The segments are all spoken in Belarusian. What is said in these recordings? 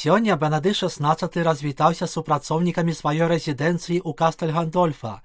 Сёння Бенедыкт XVI развітаўся з супрацоўнікамі сваёй рэзідэнцыі ў Кастэль-Гандольфа.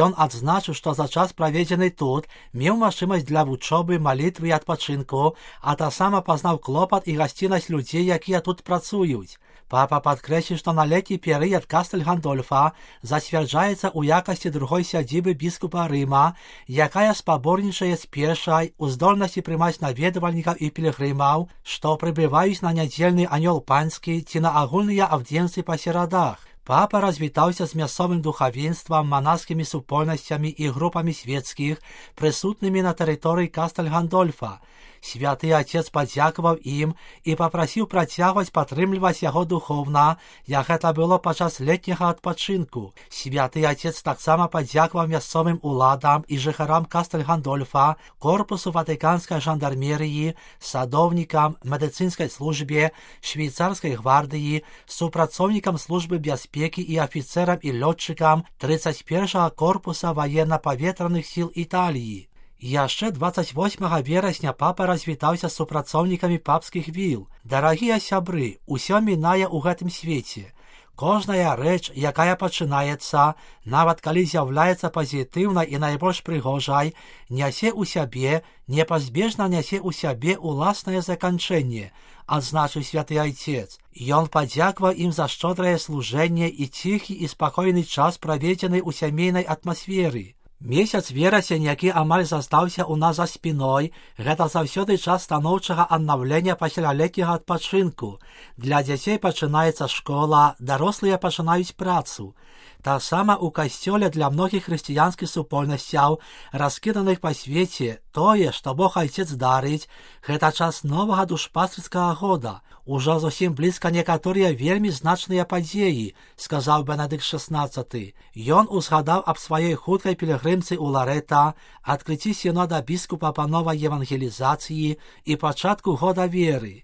Ён адзначыў, што за час, праведзены тут, меў магчымасць для вучобы, малітвы і адпачынку, а таксама пазнаў клопат і гасціннасць людзей, якія тут працуюць. Папа падкрэсліў, што на летні перыяд Кастэль-Гандольфа зацвярджаецца ў якасці другой сядзібы біскупа Рыма, якая спаборнічае з першай у здольнасці прымаць наведвальнікаў і пілігрымаў, што прыбываюць на нядзельны анёл панскі ці на агульныя аўдзенцыі па серадах. Папа развітаўся з мясцовым духавенствам, манаскімі супольнасцямі і групамі свецкіх, прысутнымі на тэрыторыі Кастэль-Гандольфа. Святы Отец падзякаваў ім і папрасіў працягваць падтрымліваць яго духоўна, як гэта было падчас летняга адпачынку. Святы Отец таксама падзякаваў мясцовым уладам і жыхарам Кастэль-Гандольфа, корпусу ватыканскай жандармерыі, садоўнікам, медыцынскай службе, швейцарскай гвардыі, супрацоўнікам службы бяспекі і афіцэрам і лётчыкам 31-го корпуса ваенна-паветраных сіл Італіі. Яшчэ 28 верасня папа развітаўся з супрацоўнікамі папскіх віл. Дарагія сябры, усё мінае ў гэтым свеце. Кожная рэч, якая пачынаецца, нават калі з'яўляецца пазітыўнай і найбольш прыгожай, нясе ў сябе, непазбежна нясе ў сябе ўласнае заканчэнне, адзначыў святы Айцец. Ён падзякаваў ім за шчодрае служэнне і ціхі і спакойны час, праведзены ў сямейнай атмасферы. Месяц верасень, які амаль застаўся ў нас за спіной, гэта заўсёды час станоўчага аднаўлення пасля летняга адпачынку. Для дзяцей пачынаецца школа, дарослыя пачынаюць працу. Таксама ў касцёле для многіх хрысціянскіх супольнасцяў, раскіданых па свеце, тое, што Бог Айцец дарыць, гэта час новага душпастырскага года. Ужо зусім блізка некаторыя вельмі значныя падзеі, сказаў Бенедыкт XVI. Ён узгадаў аб сваёй хуткай пілігрымцы ў Ларэта, адкрыцці сінода біскупа па новай евангелізацыі і пачатку года веры.